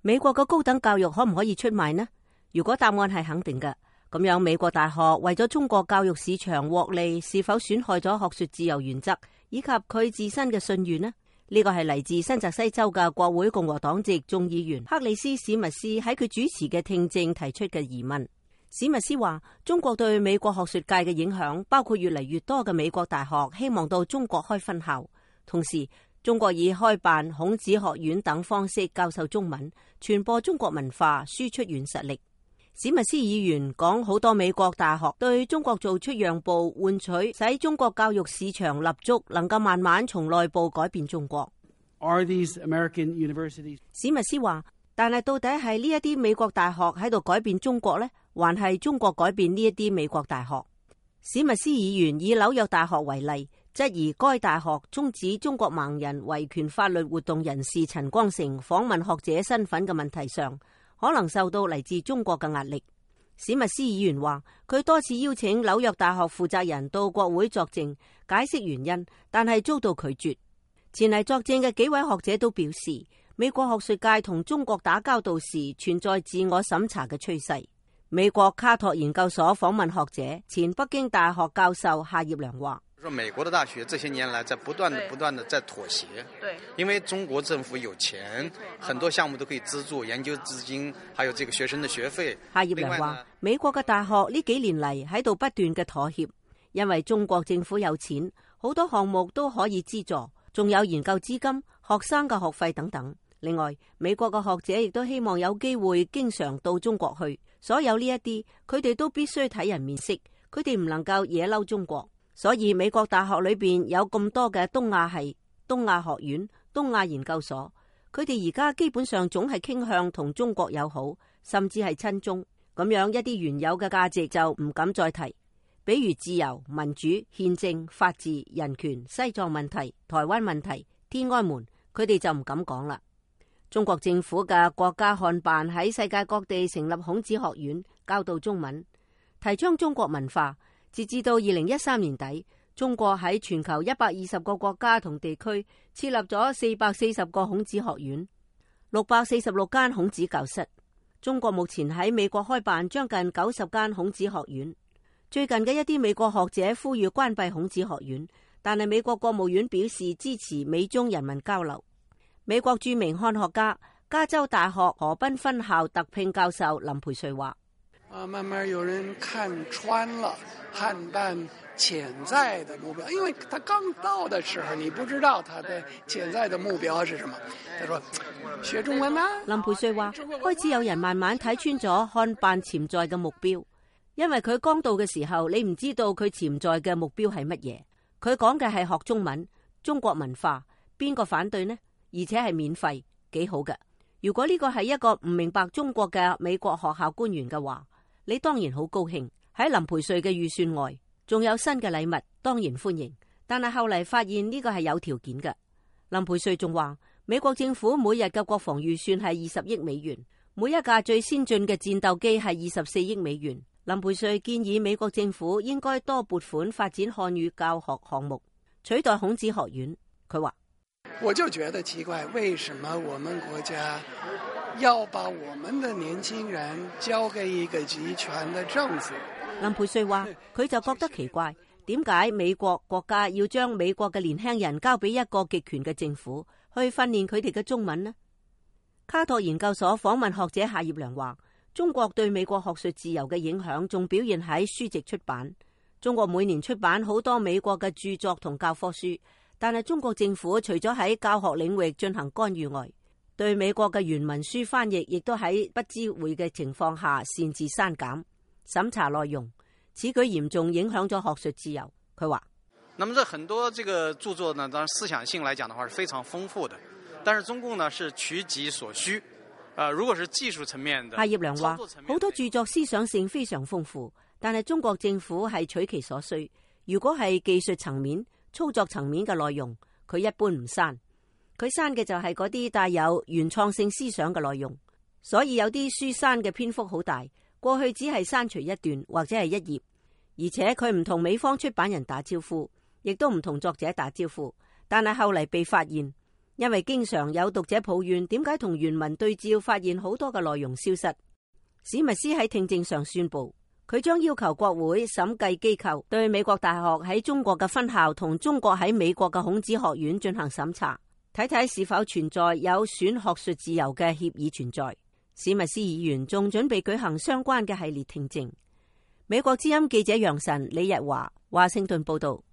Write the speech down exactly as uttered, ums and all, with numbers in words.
美國嘅高等教育可唔可以出賣呢？如果答案係肯定嘅，咁樣美國大學為咗中國教育市場獲利，是否損害咗學術自由原則以及佢自身嘅信譽呢？呢個係嚟自新澤西州嘅國會共和黨籍眾議員克里斯史密斯喺佢主持嘅聽證提出嘅疑問。史密斯話，中國對美國學術界嘅影響包括越嚟越多嘅美國大學希望到中國開分校，同時中國以開辦孔子學院等方式教授中文，傳播中國文化，輸出軟實力。史密斯議員講，好多美國大學對中國做出讓步，換取使中國教育市場立足，能夠慢慢從內部改變中國。Are these American universities? 史密斯話，但係到底係呢一啲美國大學喺度改變中國呢，還係中國改變呢一啲美國大學？史密斯議員以紐約大學為例，質疑該大學終止中國盲人維權法律活動人士陳光誠訪問學者身份嘅問題上，可能受到嚟自中國嘅壓力。史密斯議員話，佢多次邀請紐約大學負責人到國會作證，解釋原因，但係遭到拒絕。前嚟作證嘅幾位學者都表示，美國學術界同中國打交道時存在自我審查嘅趨勢。美國卡托研究所訪問學者前北京大學教授夏業良話，說美國的大學這些年來在不斷的不斷的在妥協，對，因為中國政府有錢，很多項目都可以資助研究資金，還有這個學生的學費。夏業良話，美國嘅大學呢幾年嚟喺度不斷嘅妥協，因為中國政府有錢，好多項目都可以資助，仲有研究資金、學生嘅學費等等。另外，美國嘅學者亦都希望有機會經常到中國去，所有呢一啲，佢哋都必須睇人面色，佢哋唔能夠惹嬲中國。所以美國大學裏邊有咁多嘅東亞系、東亞學院、東亞研究所，佢哋而家基本上總係傾向同中國友好，甚至係親中。咁樣一啲原有嘅價值就唔敢再提，比如自由、民主、憲政、法治、人權、西藏問題、台灣問題、天安門，佢哋就唔敢講啦。中國政府嘅國家漢辦喺世界各地成立孔子學院，教導中文，提倡中國文化。截至到二零一三年底，中國喺全球一百二十個國家同地區設立咗四百四十個孔子學院，六百四十六間孔子教室。中國目前喺美國開辦將近九十間孔子學院。最近嘅一啲美國學者呼籲關閉孔子學院，但係美國國務院表示支持美中人民交流。美國著名漢學家、加州大學河濱分校特聘教授林培瑞話：啊，慢慢有人看穿了漢辦潛在的目標，因為他剛到的時候，你不知道他的潛在的目標是什麼。他說學中文啦。林培瑞話：開始有人慢慢睇穿咗漢辦潛在嘅目標，因為佢剛到嘅時候，你唔知道佢潛在嘅目標係乜嘢。佢講嘅係學中文、中國文化，邊個反對呢？而且係免費，幾好嘅。如果呢個係一個唔明白中國嘅美國學校官員嘅話，你當然好高興。喺林培瑞嘅預算外，仲有新嘅禮物，當然歡迎。但係後嚟發現呢個係有條件嘅。林培瑞仲話，美國政府每日嘅國防預算係二十億美元，每一架最先進嘅戰鬥機係二十四億美元。林培瑞建議美國政府應該多撥款發展漢語教學項目，取代孔子學院。佢話：我就覺得奇怪，為什麼我們國家要把我們的年輕人交給一個集權的政府？林培瑞話，佢就覺得奇怪，點解美國國家要將美國嘅年輕人交俾一個極權嘅政府去訓練佢哋嘅中文呢？卡托研究所訪問學者夏業良話，中國對美國學術自由嘅影響仲表現喺書籍出版。中國每年出版好多美國嘅著作同教科書，但係中國政府除咗喺教學領域進行干預外，對美國嘅原文書翻譯亦都喺不知會嘅情況下擅自刪減、審查內容，此舉嚴重影響咗學術自由。佢話：那麼這很多這個著作呢，當然思想性來講的話是非常豐富的，但是中共呢是取己所需。呃，如果是技術層面的，夏業良話，好多著作思想性非常豐富，但係中國政府係取其所需。如果係技術層面、操作層面嘅內容，佢一般唔刪。佢刪嘅就係嗰啲帶有原創性思想嘅內容，所以有啲書刪嘅篇幅好大。過去只係刪除一段或者係一頁，而且佢唔同美方出版人打招呼，亦都唔同作者打招呼。但係後嚟被發現，因為經常有讀者抱怨點解同原文對照發現好多嘅內容消失。史密斯喺聽證上宣布，佢將要求國會審計機構對美國大學喺中國嘅分校同中國喺美國嘅孔子學院進行審查，睇睇是否存在有損學術自由嘅協議存在。史密斯議員仲準備舉行相關嘅系列聽證。美國之音記者楊晨、李日華，華盛頓報道。